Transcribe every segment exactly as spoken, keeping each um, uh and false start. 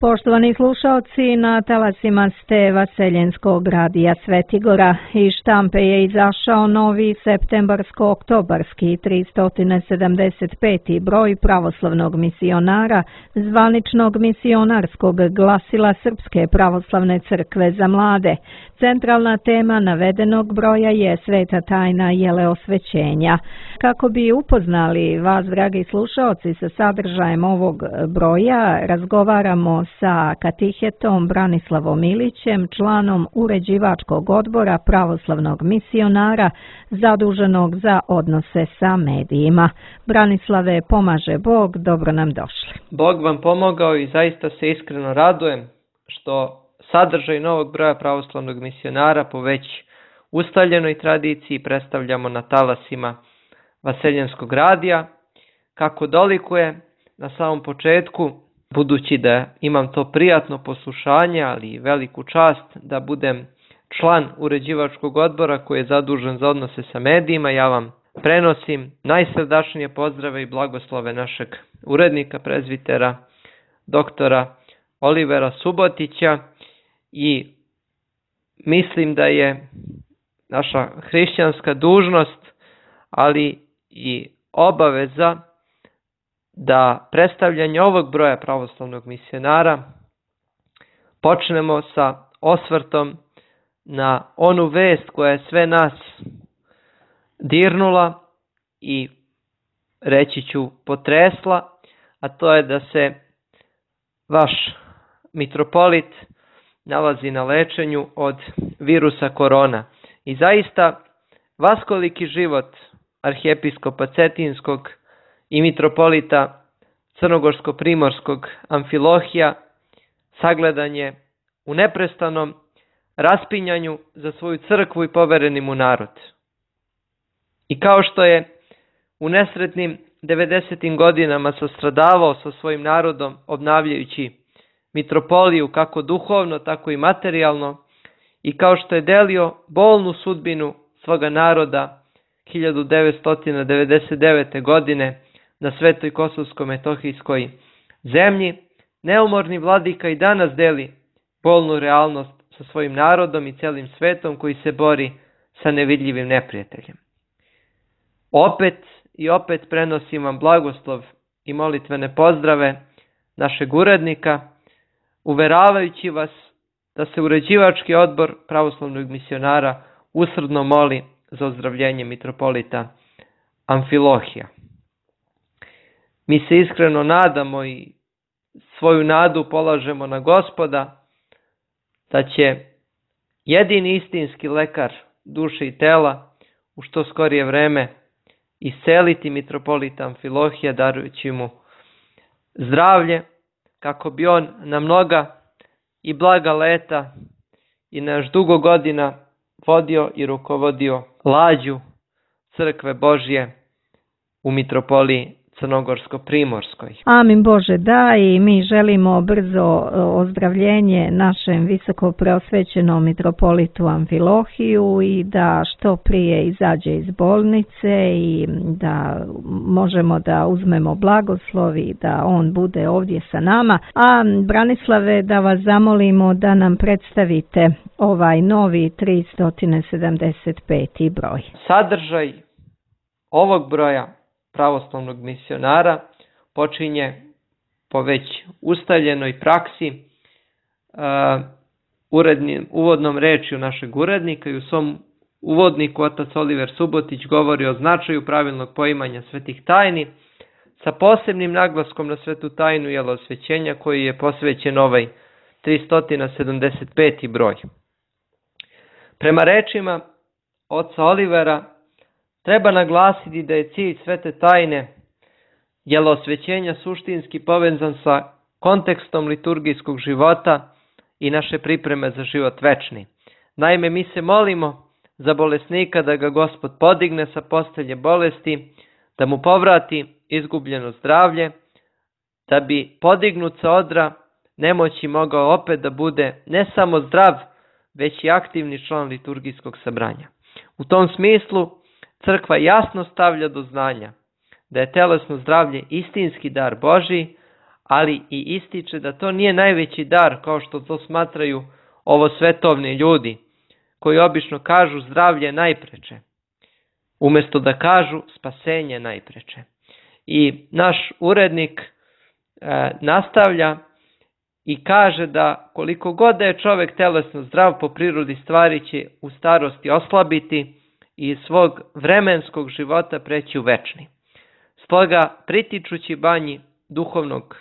Poštovani slušaoci, na talasima ste Vaseljenskog radija Svetigora. Iz štampe je izašao novi septembarsko-oktobarski tristo sedamdeset peti broj pravoslavnog misionara, zvaničnog misionarskog glasila Srpske pravoslavne crkve za mlade. Centralna tema navedenog broja je sveta tajna jeleosvećenja. Kako bi upoznali vas, dragi slušaoci, sa sadržajem ovog broja, razgovaramo sa katehetom Branislavom Ilićem, članom uređivačkog odbora pravoslavnog misionara zaduženog za odnose sa medijima. Branislave, pomaže Bog, dobro nam došli. Bog vam pomogao i zaista se iskreno radujem što sadržaj novog broja pravoslavnog misionara po već ustaljenoj tradiciji predstavljamo na talasima Vaseljenskog radija. Kako dolikuje na samom početku, budući da imam to prijatno poslušanje, ali i veliku čast da budem član uređivačkog odbora koji je zadužen za odnose sa medijima, ja vam prenosim najsrdačnije pozdrave i blagoslove našeg urednika, prezbitera, doktora Olivera Subotića, i mislim da je naša hrišćanska dužnost, ali i obaveza da predstavljanje ovog broja pravoslavnog misionara počnemo sa osvrtom na onu vest koja je sve nas dirnula i, reći ću, potresla, a to je da se vaš mitropolit nalazi na lečenju od virusa korona. I zaista vaskoliki život arhijepiskopa Cetinskog i mitropolita Crnogorsko-Primorskog Amfilohija sagledan je u neprestanom raspinjanju za svoju crkvu i povereni mu narod. I kao što je u nesretnim devedesetim godinama sastradavao sa svojim narodom obnavljajući mitropoliju kako duhovno, tako i materijalno, i kao što je delio bolnu sudbinu svoga naroda hiljadu devetsto devedeset devete. godine na Svetoj Kosovsko-Metohijskoj zemlji, neumorni vladika i danas deli bolnu realnost sa svojim narodom i celim svetom koji se bori sa nevidljivim neprijateljem. Opet i opet prenosim vam blagoslov i molitvene pozdrave našeg urednika, uveravajući vas da se uređivački odbor pravoslavnog misionara usrdno moli za ozdravljenje mitropolita Amfilohija. Mi se iskreno nadamo i svoju nadu polažemo na Gospoda da će jedini istinski lekar duše i tela u što skorije vreme isceliti mitropolita Amfilohija, darujući mu zdravlje, kako bi on na mnoga i blaga leta i na još dugo godina vodio i rukovodio lađu crkve Božje u mitropoliji Crnogorsko-Primorskoj. Amin Bože, da, i mi želimo brzo ozdravljenje našem visoko preosvećenom mitropolitu Amfilohiju i da što prije izađe iz bolnice i da možemo da uzmemo blagoslov i da on bude ovdje sa nama. A Branislave, da vas zamolimo da nam predstavite ovaj novi tristo sedamdeset peti broj. Sadržaj ovog broja pravoslavnog misionara počinje po već ustaljenoj praksi uh, urednim, uvodnom rečju našeg urednika, i u svom uvodniku otac Oliver Subotić govori o značaju pravilnog poimanja svetih tajni sa posebnim naglaskom na svetu tajnu jeleosvećenja koji je posvećen ovaj tristo sedamdeset peti broj. Prema rečima oca Olivera, treba naglasiti da je cilj svete tajne jeleosvećenja suštinski povezan sa kontekstom liturgijskog života i naše pripreme za život večni. Naime, mi se molimo za bolesnika da ga Gospod podigne sa postelje bolesti, da mu povrati izgubljeno zdravlje, da bi podignut sa odra nemoći mogao opet da bude ne samo zdrav, već i aktivni član liturgijskog sabranja. U tom smislu crkva jasno stavlja do znanja da je telesno zdravlje istinski dar Božji, ali i ističe da to nije najveći dar kao što to smatraju ovo svetovni ljudi, koji obično kažu zdravlje najpreče, umjesto da kažu spasenje najpreče. I naš urednik e, nastavlja i kaže da koliko god da je čovjek telesno zdrav, po prirodi stvari će u starosti oslabiti i iz svog vremenskog života preći u večni. Stoga, pritičući banji duhovnog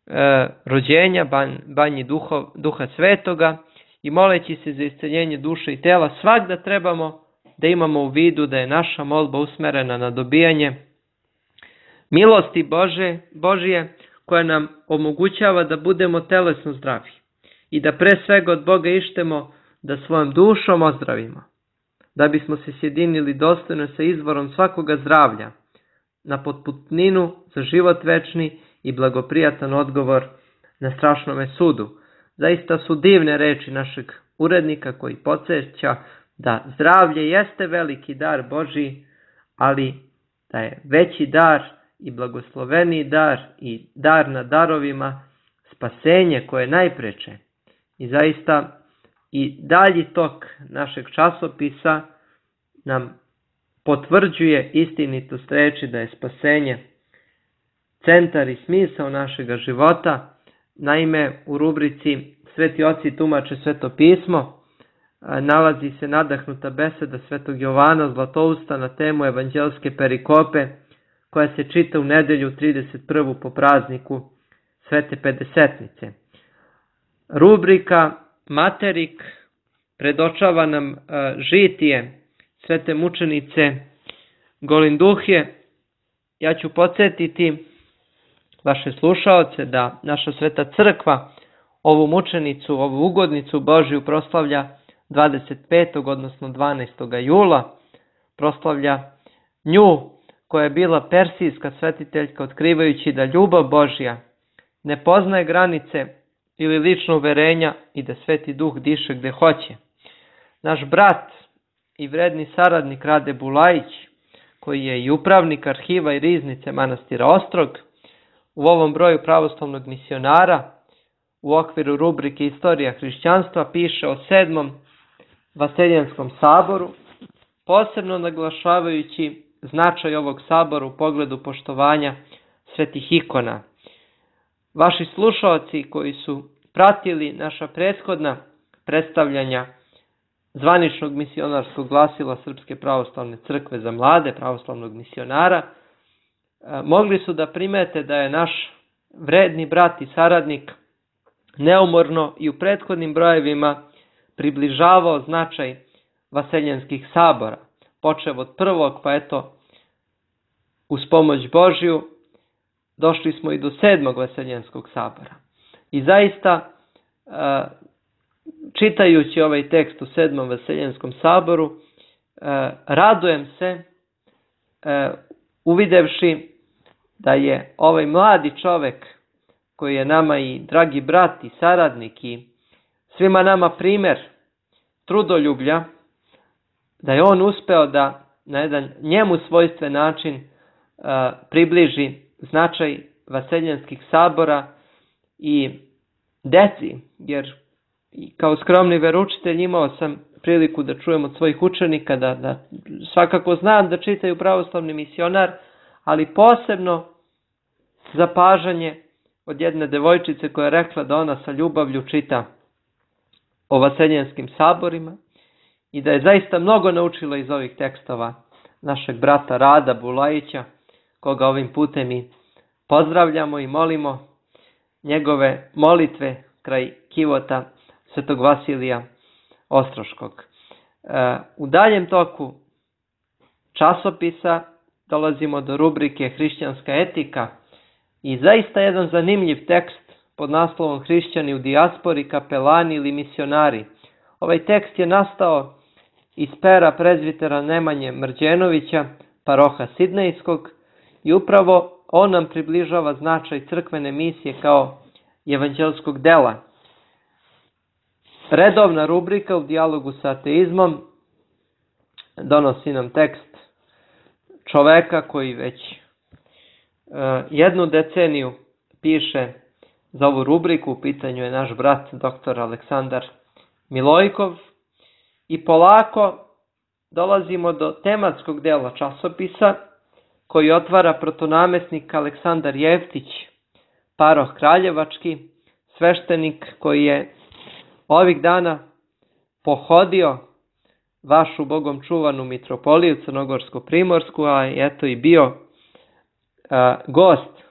e, rođenja, ban, banji duhov, duha svetoga i moleći se za isceljenje duše i tela, svakda trebamo da imamo u vidu da je naša molba usmerena na dobijanje milosti Bože, Božije, koja nam omogućava da budemo telesno zdravi i da pre svega od Boga ištemo da svojom dušom ozdravimo, da bismo se sjedinili dostojno sa izvorom svakoga zdravlja, na potputninu za život večni i blagoprijatan odgovor na strašnome sudu. Zaista su divne reči našeg urednika koji podsjeća da zdravlje jeste veliki dar Božji, ali da je veći dar i blagosloveniji dar i dar na darovima spasenje koje je najpreče. I zaista i dalji tok našeg časopisa nam potvrđuje istinitost reči da je spasenje centar i smisao našega života. Naime, u rubrici Sveti oci tumače Sveto pismo nalazi se nadahnuta beseda Svetog Jovana Zlatousta na temu evanđelske perikope, koja se čita u nedelju trideset prvu po prazniku Svete Pedesetnice. Rubrika Materik predočava nam žitije svete mučenice Golinduhje. Ja ću podsjetiti vaše slušaoce da naša Sveta Crkva ovu mučenicu, ovu ugodnicu Božju proslavlja dvadeset petog odnosno dvanaestog jula. Proslavlja nju koja je bila persijska svetiteljka, otkrivajući da ljubav Božja ne poznaje granice ili lično uverenja i da Sveti Duh diše gde hoće. Naš brat i vredni saradnik Rade Bulajić, koji je i upravnik arhiva i riznice manastira Ostrog, u ovom broju pravoslavnog misionara u okviru rubrike Istorija hrišćanstva piše o sedmom Vaseljenskom saboru, posebno naglašavajući značaj ovog sabora u pogledu poštovanja svetih ikona. Vaši slušaoci koji su pratili naša prethodna predstavljanja zvaničnog misionarskog glasila Srpske pravoslavne crkve za mlade, pravoslavnog misionara, mogli su da primete da je naš vredni brat i saradnik neumorno i u prethodnim brojevima približavao značaj vaseljenskih sabora, počev od prvog, pa eto, uz pomoć Božju, došli smo i do sedmog vaseljenskog sabora. I zaista, čitajući ovaj tekst u sedmom vaseljenskom saboru, radujem se, uvidevši da je ovaj mladi čovek, koji je nama i dragi brat i saradnik i svima nama primer trudoljublja, da je on uspeo da na jedan njemu svojstven način uh, približi značaj vaseljenskih sabora i deci, jer kao skromni veroučitelj imao sam priliku da čujem od svojih učenika da, da svakako znam da čitaju pravoslavni misionar, ali posebno zapažanje od jedne devojčice koja je rekla da ona sa ljubavlju čita o vaseljenskim saborima i da je zaista mnogo naučila iz ovih tekstova našeg brata Rada Bulajića, koga ovim putem i pozdravljamo i molimo njegove molitve kraj kivota Svetog Vasilija Ostroškog. U daljem toku časopisa dolazimo do rubrike Hrišćanska etika i zaista jedan zanimljiv tekst pod naslovom Hrišćani u dijaspori, kapelani ili misionari. Ovaj tekst je nastao iz pera prezbitera Nemanje Mrđenovića, paroha Sidnejskog, i upravo on nam približava značaj crkvene misije kao evanđelskog dela. Redovna rubrika u dijalogu sa ateizmom donosi nam tekst čoveka koji već uh, jednu deceniju piše za ovu rubriku. U pitanju je naš brat doktor Aleksandar Milojkov. I polako dolazimo do tematskog dela časopisa koji otvara protonamestnik Aleksandar Jeftić, paroh kraljevački, sveštenik koji je ovih dana pohodio vašu bogom čuvanu mitropoliju Crnogorsko-primorsku, a eto i bio a, gost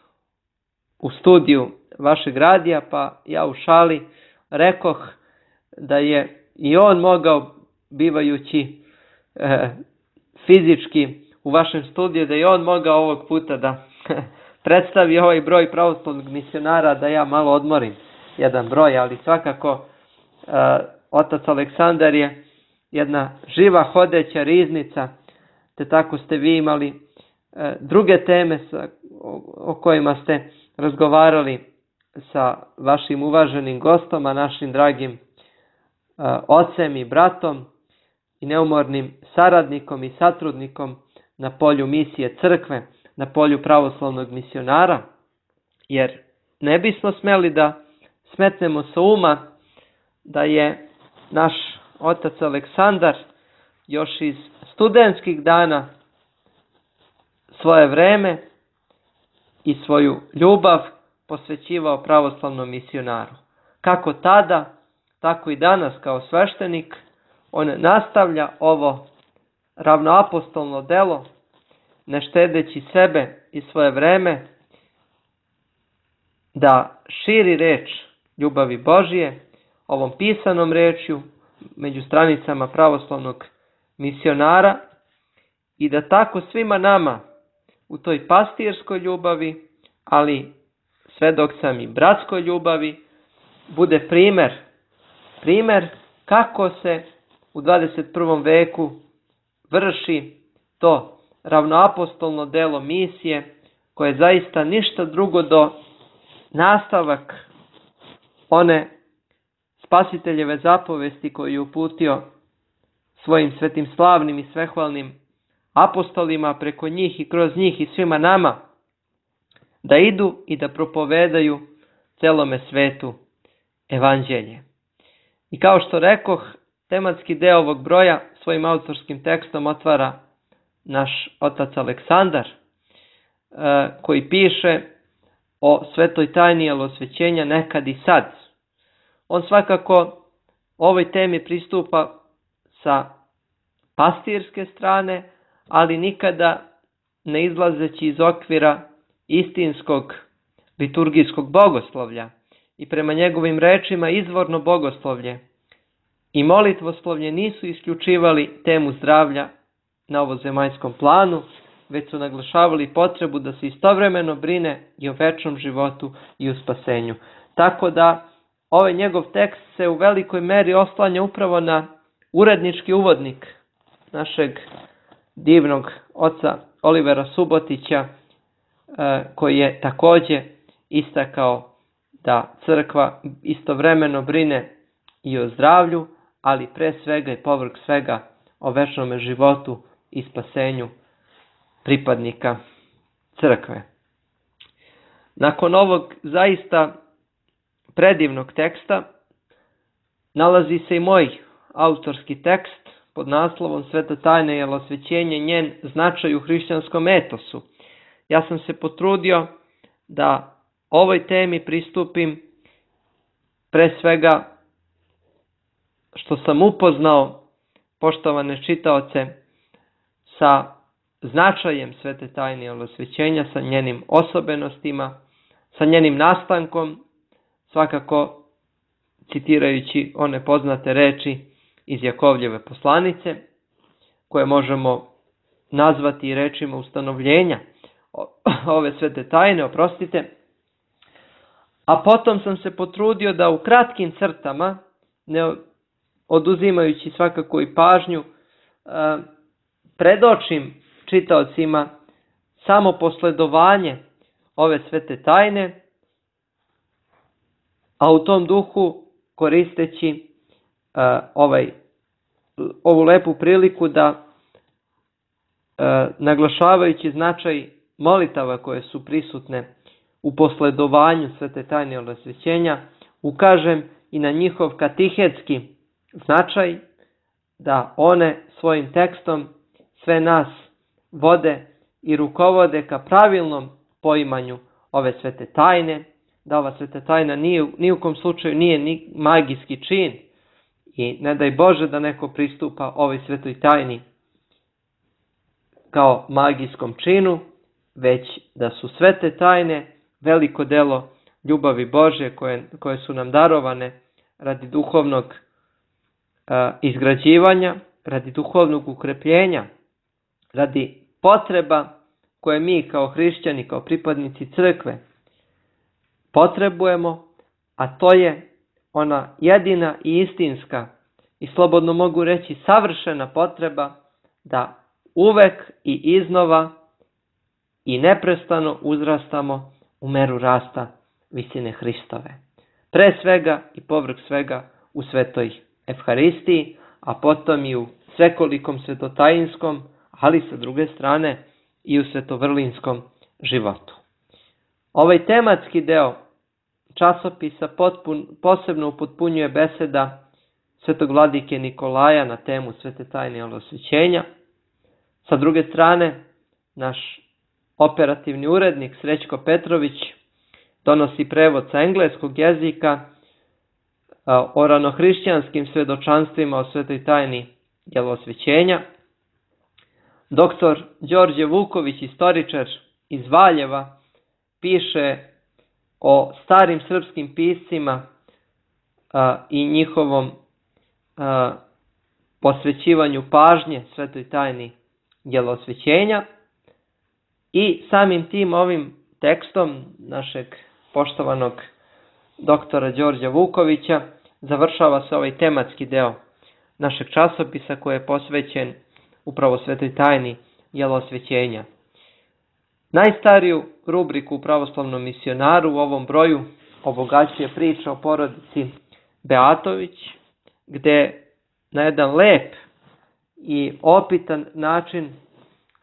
u studiju vašeg radija, pa ja u šali rekoh da je i on mogao, bivajući e, fizički u vašem studiju, da je on mogao ovog puta da predstavi ovaj broj pravoslavnog misionara, da ja malo odmorim jedan broj, ali svakako e, otac Aleksandar je jedna živa hodeća riznica, te tako ste vi imali e, druge teme sa, o, o kojima ste razgovarali sa vašim uvaženim gostom, a našim dragim e, ocem i bratom i neumornim saradnikom i satrudnikom na polju misije crkve, na polju pravoslavnog misionara, jer ne bismo smeli da smetnemo sa uma da je naš otac Aleksandar još iz studentskih dana svoje vreme i svoju ljubav posvećivao pravoslavnom misionaru. Kako tada, tako i danas kao sveštenik, on nastavlja ovo ravnoapostolno delo, ne štedeći sebe i svoje vreme, da širi reč ljubavi Božije ovom pisanom rečju među stranicama pravoslavnog misionara i da tako svima nama u toj pastirskoj ljubavi, ali sve dok sam i bratskoj ljubavi, bude primer, primer kako se u dvadeset prvom veku vrši to ravnoapostolno delo misije, koje je zaista ništa drugo do nastavak one spasiteljeve zapovesti koju je uputio svojim svetim slavnim i svehvalnim apostolima, preko njih i kroz njih i svima nama, da idu i da propovedaju celome svetu evanđelje. I kao što rekoh, tematski deo ovog broja svojim autorskim tekstom otvara naš otac Aleksandar, koji piše o svetoj tajni osvećenja nekad i sad. On svakako ovoj temi pristupa sa pastirske strane, ali nikada ne izlazeći iz okvira istinskog liturgijskog bogoslovlja i prema njegovim rečima izvorno bogoslovlje i molitvoslovlje nisu isključivali temu zdravlja na ovozemaljskom planu, već su naglašavali potrebu da se istovremeno brine i o večnom životu i o spasenju. Tako da ovaj njegov tekst se u velikoj meri oslanja upravo na urednički uvodnik našeg divnog oca Olivera Subotića, koji je također istakao da crkva istovremeno brine i o zdravlju, ali pre svega i povrh svega o večnom životu i spasenju pripadnika crkve. Nakon ovog zaista predivnog teksta nalazi se i moj autorski tekst pod naslovom Sveta tajna i osvećenje, njen značaj u hrišćanskom etosu. Ja sam se potrudio da ovoj temi pristupim pre svega što sam upoznao, poštovane čitaoce, sa značajem svete tajne osvećenja, sa njenim osobenostima, sa njenim nastankom, svakako citirajući one poznate reči iz Jakovljeve poslanice, koje možemo nazvati rečima ustanovljenja ove svete tajne, oprostite. A potom sam se potrudio da u kratkim crtama, ne oduzimajući svakako i pažnju, predočim čitaocima samo posledovanje ove svete tajne, a u tom duhu koristeći ovaj, ovu lepu priliku da naglašavajući značaj molitava koje su prisutne u posledovanju svete tajne od osvećenja ukažem i na njihov katehetski značaj, da one svojim tekstom sve nas vode i rukovode ka pravilnom poimanju ove svete tajne, da ova sveta tajna ni, ni u kom slučaju nije ni magijski čin i ne daj Bože da neko pristupa ovoj svetoj tajni kao magijskom činu, već da su svete tajne veliko delo ljubavi Božje koje, koje su nam darovane radi duhovnog uh, izgrađivanja, radi duhovnog ukrepljenja, radi potreba koje mi kao hrišćani, kao pripadnici crkve potrebujemo, a to je ona jedina i istinska i slobodno mogu reći savršena potreba da uvek i iznova i neprestano uzrastamo u meru rasta visine Hristove. Pre svega i povrh svega u svetoj Evharistiji, a potom i u svekolikom svetotajinskom, ali sa druge strane i u svetovrlinskom životu. Ovaj tematski deo časopisa potpun, posebno upotpunjuje beseda svetog vladike Nikolaja na temu svete tajne od osvećenja. Sa druge strane, naš operativni urednik Srećko Petrović donosi prevod sa engleskog jezika o ranohrišćanskim svedočanstvima o svetoj tajni djelosvećenja. Doktor Đorđe Vuković, istoričar iz Valjeva, piše o starim srpskim piscima a, i njihovom a, posvećivanju pažnje svetoj tajni djelosvećenja i samim tim ovim tekstom našeg poštovanog doktora Đorđa Vukovića završava se ovaj tematski deo našeg časopisa koji je posvećen upravo svetoj tajni djelosvećenja. Najstariju rubriku u pravoslavnom misionaru u ovom broju obogaćuje priča o porodici Beatović, gde na jedan lep i opitan način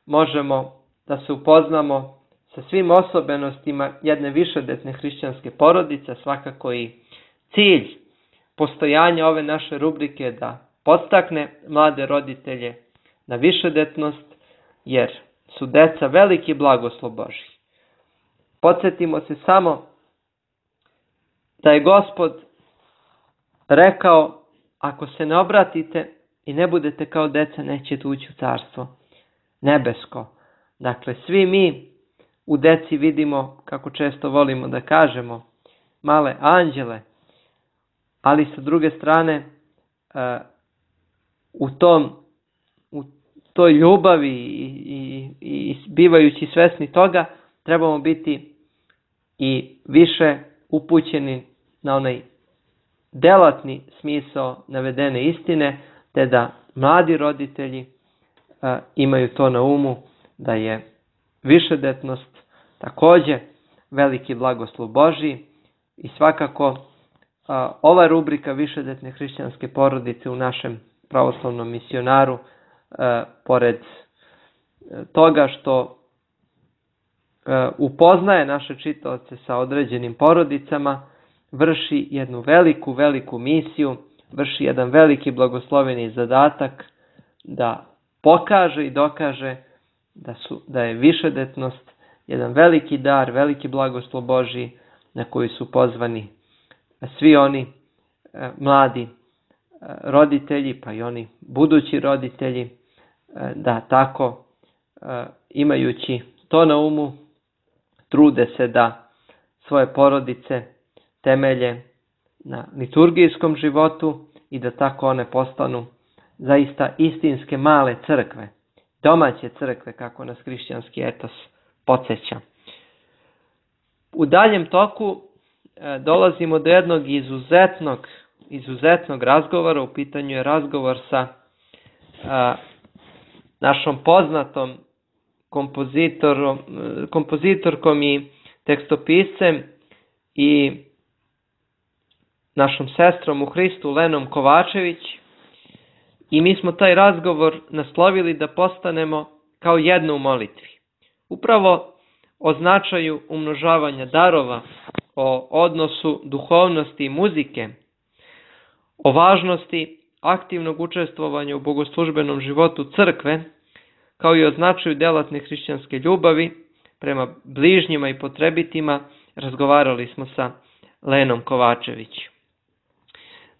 možemo da se upoznamo sa svim osobenostima jedne višedetne hrišćanske porodice, svakako i cilj postojanja ove naše rubrike da podstakne mlade roditelje na višedetnost, jer su deca veliki blagoslov Božji. Podsjetimo se samo da je Gospod rekao, ako se ne obratite i ne budete kao deca, nećete ući u carstvo nebesko. Dakle, svi mi u deci vidimo, kako često volimo da kažemo, male anđele, ali sa druge strane u tom u toj ljubavi i, i, i bivajući svesni toga, trebamo biti i više upućeni na onaj delatni smisao navedene istine, te da mladi roditelji a, imaju to na umu, da je višedetnost također veliki blagoslov Božji i svakako a, ova rubrika višedetne hrišćanske porodice u našem pravoslavnom misionaru, a, pored toga što a, upoznaje naše čitaoce sa određenim porodicama, vrši jednu veliku, veliku misiju, vrši jedan veliki blagosloveni zadatak da pokaže i dokaže da, su, da je višedetnost jedan veliki dar, veliki blagoslov Božji na koji su pozvani svi oni e, mladi e, roditelji, pa i oni budući roditelji, e, da tako e, imajući to na umu trude se da svoje porodice temelje na liturgijskom životu i da tako one postanu zaista istinske male crkve, domaće crkve, kako nas hrišćanski etos podsjeća. U daljem toku e, dolazimo do jednog izuzetnog, izuzetnog razgovora. U pitanju je razgovor sa e, našom poznatom kompozitorom, kompozitorkom i tekstopiscem i našom sestrom u Hristu Lenom Kovačević, i mi smo taj razgovor naslovili da postanemo kao jedno u molitvi. Upravo o značaju umnožavanja darova, o odnosu duhovnosti i muzike, o važnosti aktivnog učestvovanja u bogoslužbenom životu crkve, kao i o značaju djelatne hrišćanske ljubavi prema bližnjima i potrebitima, razgovarali smo sa Lenom Kovačević.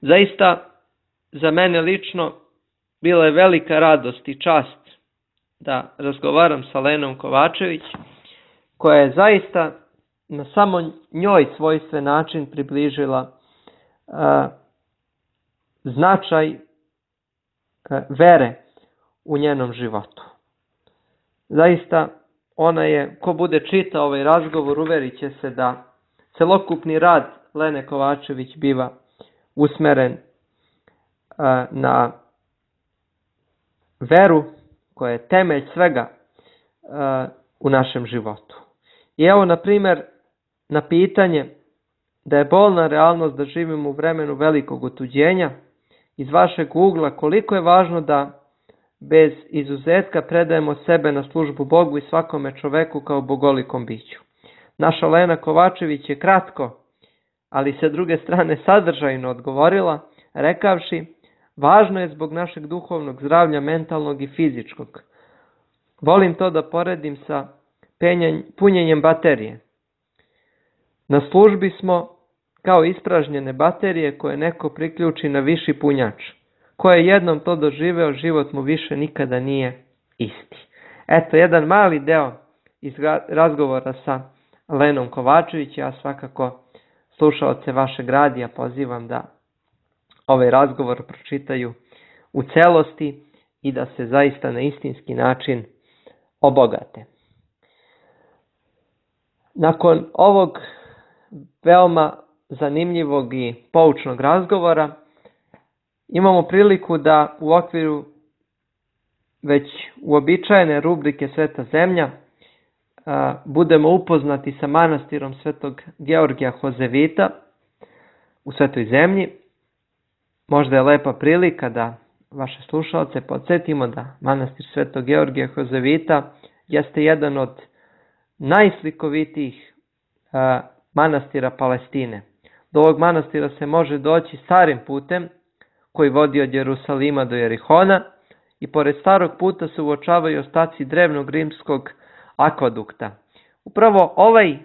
Zaista, za mene lično, bila je velika radost i čast da razgovaram sa Lenom Kovačević, koja je zaista na samo njoj svojstven način približila a, značaj a, vere u njenom životu. Zaista, ona je, ko bude čitao ovaj razgovor, uverit će se da celokupni rad Lene Kovačević biva usmeren a, na veru koja je temelj svega a, u našem životu. I evo, na primjer, na pitanje da je bolna realnost da živimo u vremenu velikog otuđenja, iz vašeg ugla koliko je važno da bez izuzetka predajemo sebe na službu Bogu i svakome čoveku kao bogolikom biću. Naša Lena Kovačević je kratko, ali sa druge strane sadržajno odgovorila, rekavši: važno je zbog našeg duhovnog zdravlja, mentalnog i fizičkog. Volim to da poredim sa penjanj, punjenjem baterije. Na službi smo kao ispražnjene baterije koje neko priključi na viši punjač. Ko je jednom to doživeo, život mu više nikada nije isti. Eto, jedan mali deo iz razgovora sa Lenom Kovačević. Ja svakako slušaoce vašeg radija pozivam da ovaj razgovor pročitaju u celosti i da se zaista na istinski način obogate. Nakon ovog veoma zanimljivog i poučnog razgovora imamo priliku da u okviru već uobičajene rubrike Sveta zemlja a, budemo upoznati sa manastirom Svetog Georgija Hozevita u Svetoj zemlji. Možda je lepa prilika da vaše slušalce podsjetimo da manastir Svetog Georgija Hozevita jeste jedan od najslikovitijih a, manastira Palestine. Do ovog manastira se može doći starim putem koji vodi od Jerusalima do Jerihona i pored starog puta se uočavaju ostaci drevnog rimskog akvadukta. Upravo ovaj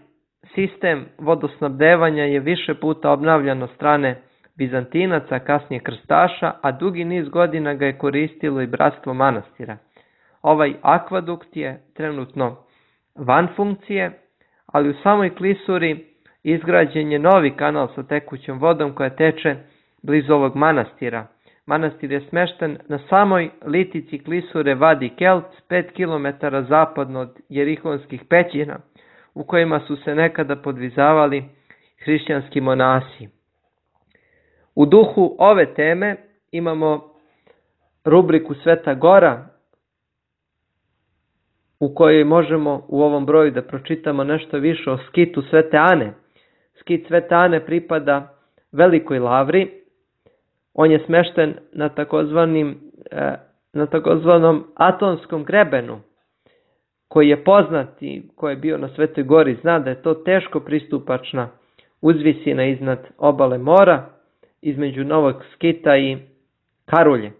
sistem vodosnabdevanja je više puta obnavljan od strane Bizantinaca, kasnije krstaša, a dugi niz godina ga je koristilo i bratstvo manastira. Ovaj akvadukt je trenutno van funkcije, ali u samoj klisuri izgrađen je novi kanal sa tekućom vodom koja teče blizu ovog manastira. Manastir je smešten na samoj litici klisure Vadi Kelt, pet kilometara zapadno od Jerihonskih pećina, u kojima su se nekada podvizavali hrišćanski monasi. U duhu ove teme imamo rubriku Sveta Gora, u kojoj možemo u ovom broju da pročitamo nešto više o skitu Svete Ane. Skit Svete Ane pripada Velikoj Lavri. On je smešten na takozvanim, na takozvanom Atonskom grebenu, koji je poznat i koji je bio na Svetoj Gori, zna da je to teško pristupačna uzvisina iznad obale mora, između Novog Skita i Karulje.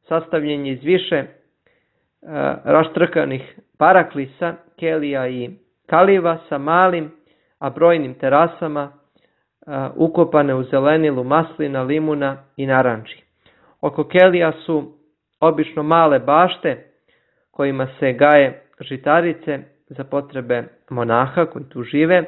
Sastavljen je iz više uh, raštrkanih paraklisa, kelija i kaliva sa malim, a brojnim terasama, uh, ukopane u zelenilu maslina, limuna i naranči. Oko kelija su obično male bašte kojima se gaje žitarice za potrebe monaha koji tu žive.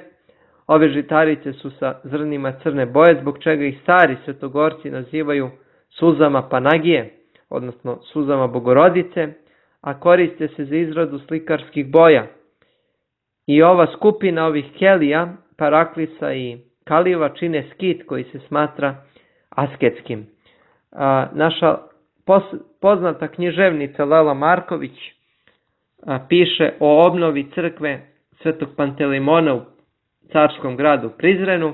Ove žitarice su sa zrnima crne boje, zbog čega ih stari svetogorci nazivaju suzama Panagije, odnosno suzama Bogorodice, a koriste se za izradu slikarskih boja. I ova skupina ovih kelija, paraklisa i kaliva čine skit koji se smatra asketskim. A, naša pos, poznata književnica Lela Marković a, piše o obnovi crkve Svetog Pantelimona u carskom gradu Prizrenu,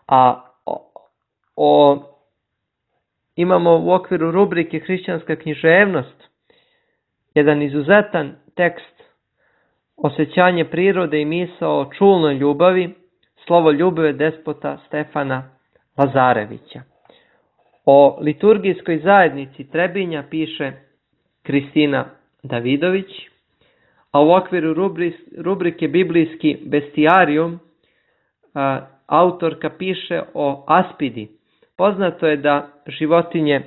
a o, o, imamo u okviru rubrike Hrišćanska književnost jedan izuzetan tekst osjećanje prirode i misao o čulnoj ljubavi, slovo ljubave despota Stefana Lazarevića. O liturgijskoj zajednici Trebinja piše Kristina Davidović, a u okviru rubrike Biblijski bestijarijum autorka piše o aspidi. Poznato je da životinje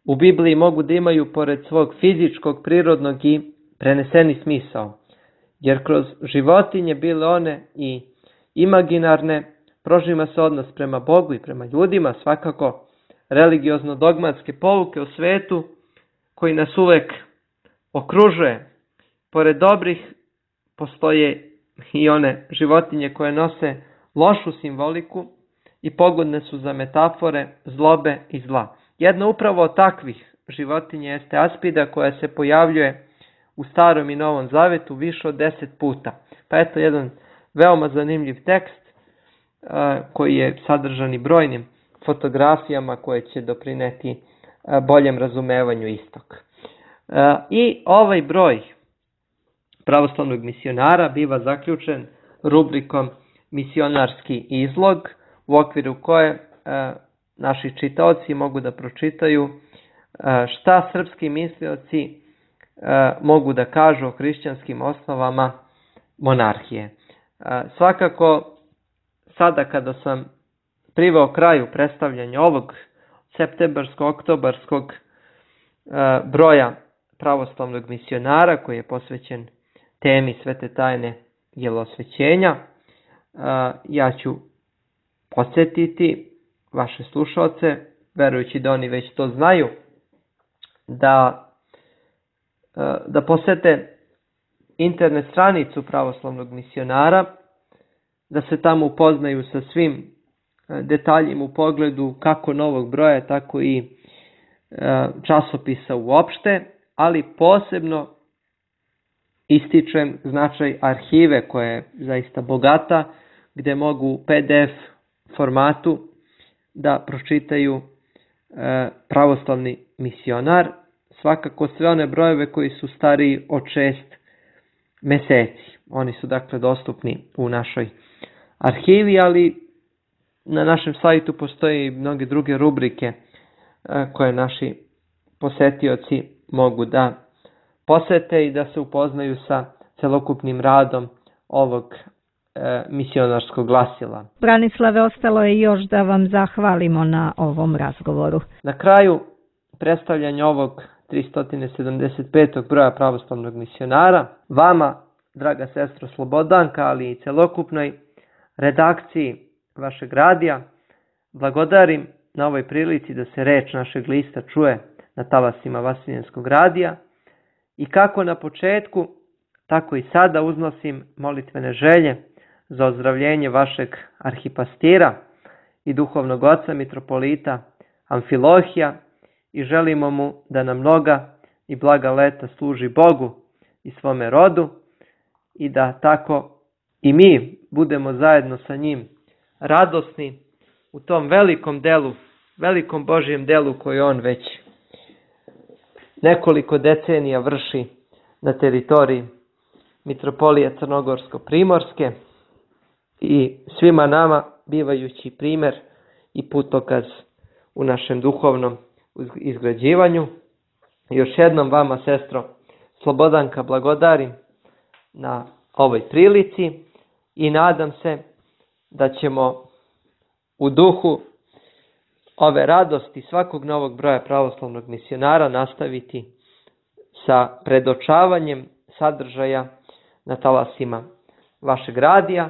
u Bibliji mogu da imaju pored svog fizičkog, prirodnog i preneseni smisao, jer kroz životinje, bile one i imaginarne, prožima se odnos prema Bogu i prema ljudima, svakako religiozno-dogmatske pouke o svetu koji nas uvek okružuje. Pored dobrih postoje i one životinje koje nose lošu simboliku i pogodne su za metafore zlobe i zla. Jedna upravo od takvih životinja jeste aspida, koja se pojavljuje u Starom i Novom Zavetu više od deset puta. Pa eto jedan veoma zanimljiv tekst koji je sadržan i brojnim fotografijama koje će doprineti boljem razumevanju istog. I ovaj broj pravoslavnog misionara biva zaključen rubrikom Misionarski izlog, u okviru koje naši čitaoci mogu da pročitaju šta srpski mislioci mogu da kažu o hrišćanskim osnovama monarhije. Svakako, sada kada sam priveo kraju predstavljanja ovog septembarsko-oktobarskog broja pravoslavnog misionara, koji je posvećen temi Svete tajne jelosvećenja, ja ću podsjetiti vaše slušalce, verujući da oni već to znaju, da, da posete internet stranicu pravoslavnog misionara, da se tamo upoznaju sa svim detaljima u pogledu kako novog broja, tako i časopisa uopšte, ali posebno ističem značaj arhive koja je zaista bogata, gde mogu u P D F formatu da pročitaju pravoslavni misionar, svakako sve one brojeve koji su stariji od šest meseci. Oni su dakle dostupni u našoj arhivi, ali na našem sajtu postoje i mnoge druge rubrike koje naši posetioci mogu da posete i da se upoznaju sa celokupnim radom ovog e, misionarskog glasila. Branislave, ostalo je još da vam zahvalimo na ovom razgovoru. Na kraju predstavljanja ovog tristo sedamdeset petog broja pravoslavnog misionara, vama, draga sestro Slobodanka, ali i celokupnoj redakciji vašeg radija, blagodarim na ovoj prilici da se reč našeg lista čuje na talasima Vasiljenskog radija i kako na početku, tako i sada uznosim molitvene želje za ozdravljenje vašeg arhipastira i duhovnog oca mitropolita Amfilohija i želimo mu da nam mnoga i blaga leta služi Bogu i svome rodu i da tako i mi budemo zajedno sa njim radosni u tom velikom delu, velikom Božjem delu koji on već nekoliko decenija vrši na teritoriji mitropolije Crnogorsko-Primorske i svima nama bivajući primjer i putokaz u našem duhovnom izgrađivanju. Još jednom vama, sestro Slobodanka, blagodarim na ovoj prilici i nadam se da ćemo u duhu ove radosti svakog novog broja pravoslavnog misionara nastaviti sa predočavanjem sadržaja na talasima vašeg radija,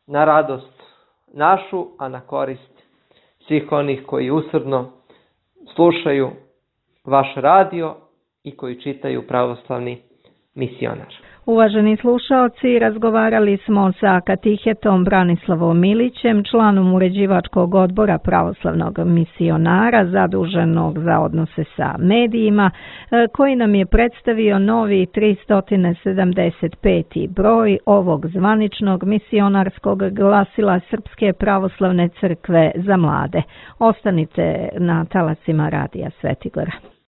na radost našu, a na korist svih onih koji usrdno slušaju vaš radio i koji čitaju pravoslavni misionar. Uvaženi slušaoci, razgovarali smo sa katehetom Branislavom Milićem, članom uređivačkog odbora pravoslavnog misionara zaduženog za odnose sa medijima, koji nam je predstavio novi tristo sedamdeset peti broj ovog zvaničnog misionarskog glasila Srpske pravoslavne crkve za mlade. Ostanite na talasima radija Svetigora.